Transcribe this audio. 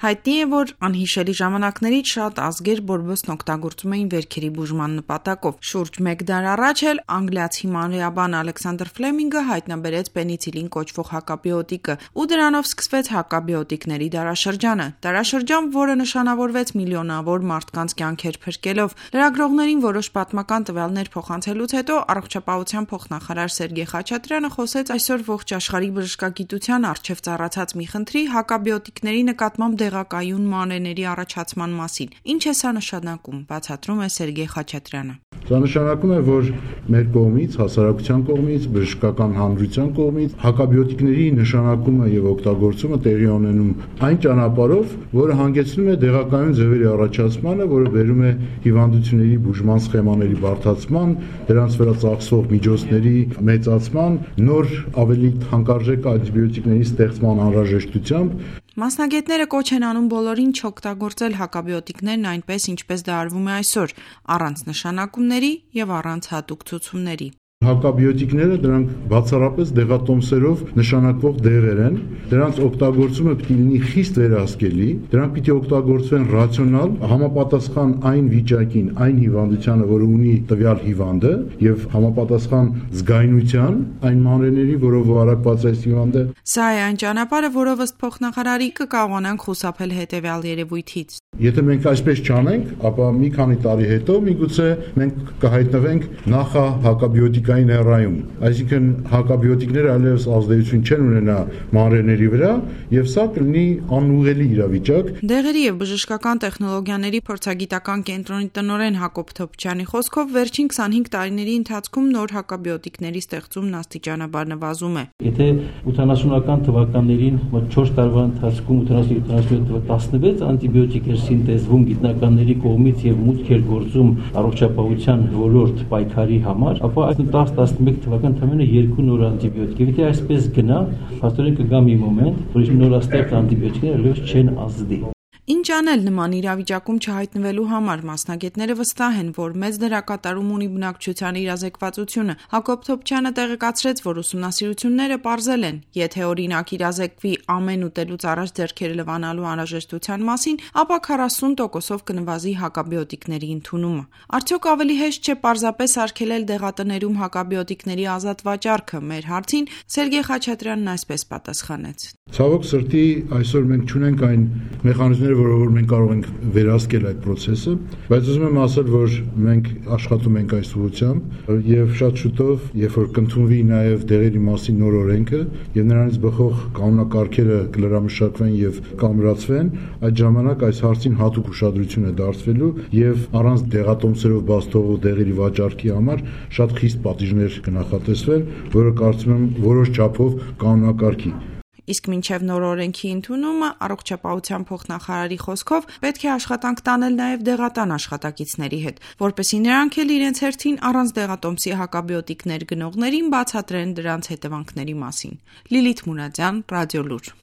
Հայտնի է, որ անհիշելի ժամանակներից շատ ազգեր բորբոցն օգտագործում էին վերքերի բուժման նպատակով։ Շուրջ 1 դար առաջ էլ անգլիացի մանրէաբան Ալեքսանդր Ֆլեմինգը հայտնաբերեց պենիցիլին կոչվող հակաբիոտիկը, ու դրանով սկսվեց հակաբիոտիկների դարաշրջանը։ Դարաշրջան, որը նշանավորվեց միլիոնավոր մարդկանց կյանքեր փրկելով։ Լրագրողներին որոշ պատմական տվյալներ փոխանցելուց հետո առողջապահության փոխնախարար Սերգեյ Խաչատրյանը խոսեց այսօր ողջ աշխարհի բժշկագիտության առջև ծառացած մի խնդրի՝ հակաբիոտիկների նկատմամբ դեղակայուն մանրէների առաջացման մասին։ Ինչ է սա նշանակում, բացատրում է Սերգեյ Խաչատրյանը։ Դա նշանակում է, որ մեր կողմից, հասարակության կողմից, բժշկական հանրության կողմից հակաբիոտիկների նշանակումը եւ օգտագործումը տեղի ունենում այն ճանապարհով, որը հանգեցնում է դեղակայուն ձևերի առաջացմանը, որը բերում է հիվանդությունների բուժման սխեմաների բարդացման, դրանց վրա ծախսվող միջոցների մեծացման, նոր ավելի թանկարժեք անտիբիոտիկների ստեղծման անհրաժեշտությամբ։ Մասնագետները կոչ են անում բոլորին չօգտագործել հակաբիոտիկներն այնպես, ինչպես դա արվում է այսօր, առանց նշանակումների եւ առանց հատուկ ցուցումների։ Հակաբիոտիկները դրանք բացառապես դեղատոմսերով նշանակվող դեղեր են, դրանց օգտագործումը պետք է լինի խիստ վերահսկելի, դրանք պետք է օգտագործվեն ռացիոնալ, համապատասխան այն վիճակին, այն հիվանդությանը, որը ունի տվյալ հիվանդը, եւ համապատասխան զգայունության այն մանրէների, որով վարակված է հիվանդը։ Սա է այն ճանապարհը, որով ըստ փոխնախարարի կկարողանանք խուսափել հետեւյալ երևույթից։ Եթե մենք այսպես չանենք, ապա մի քանի տարի հետո միգուցե մենք կհայտնվենք նախահակաբիոտիկային էրայում, այսինքն հակաբիոտիկները այլևս ազդեցություն չեն ունենա մանրէների վրա, եւ սա կլինի անուղղելի իրավիճակ։ Դեղերի եւ բժշկական տեխնոլոգիաների փորձագիտական կենտրոնի տնօրեն Հակոբ Թոփչյանի խոսքով վերջին 25 տարիների ընթացքում նոր հակաբիոտիկների ստեղծումն աստիճանաբար նվազում է։ Եթե 80-ական թվականներին 4 տարվա ընթացքում 87 անտիբիոտիկ սինտեզվում գիտնականների կողմից եւ մուտք էր գործում առողջապահության ոլորտ պայքարի համար, ապա այս 10-11 թվական թվականը 2 նոր անտիբիոտիկ։ Եթե այսպես գնա, փաստորեն կգա մի մոմենտ, որ նորաստեղծ անտիբիոտիկները այլևս չեն ազդի։ Ինչ անել նման իրավիճակում չհայտնվելու համար, մասնագետները վստահ են, որ մեծ դերակատարում ունի բնակչության իրազեկվածությունը։ Հակոբ Թոփչյանը տեղեկացրեց, որ ուսումնասիրությունները պարզել են, եթե օրինակ իրազեկվի ամեն ուտելուց առաջ ձեռքերը լվանալու անհրաժեշտության մասին, ապա 40%-ով կնվազի հակաբիոտիկների ընդունումը։ Արդյոք ավելի հեշտ չէ պարզապես արգելել դեղատներում հակաբիոտիկների ազատ վաճառքը։ Մեր հարցին Սերգեյ Խաչատրյանն այսպես պատասխանեց. Ցավոք սրտի այսօր մենք չունենք այն մեխանիզմները, որով մենք կարող ենք վերահսկել այդ process-ը, բայց ուզում եմ ասել, որ մենք աշխատում ենք այս ուղղությամբ եւ շատ շուտով, երբ որ կընդունվի նաեւ դեղերի մասին նոր օրենքը եւ նրանից բխող կանոնակարգերը կլրամշակվեն եւ կամրացվեն, այդ ժամանակ այս հարցին հատուկ ուշադրություն է դարձվելու եւ առանց դեղատոմսերով բաց թողող դեղերի վաճառքի համար շատ խիստ պատիժներ կնախատեսվեն, որը կարծում եմ որոշ չափով կանոնակարգի։ Իսկ մինչև նոր օրենքի ընդունումը, առողջապահության փոխնախարարի խոսքով պետք է աշխատանք տանել նաև դեղատան աշխատակիցների հետ, որպեսզի նրանք էլ իրենց հերթին առանց դեղատոմսի հակաբիոտիկներ գնողներին բացատրեն դրանց հետևանքների մասին։ Լիլիթ Մուրադյան, Ռադիոլուր։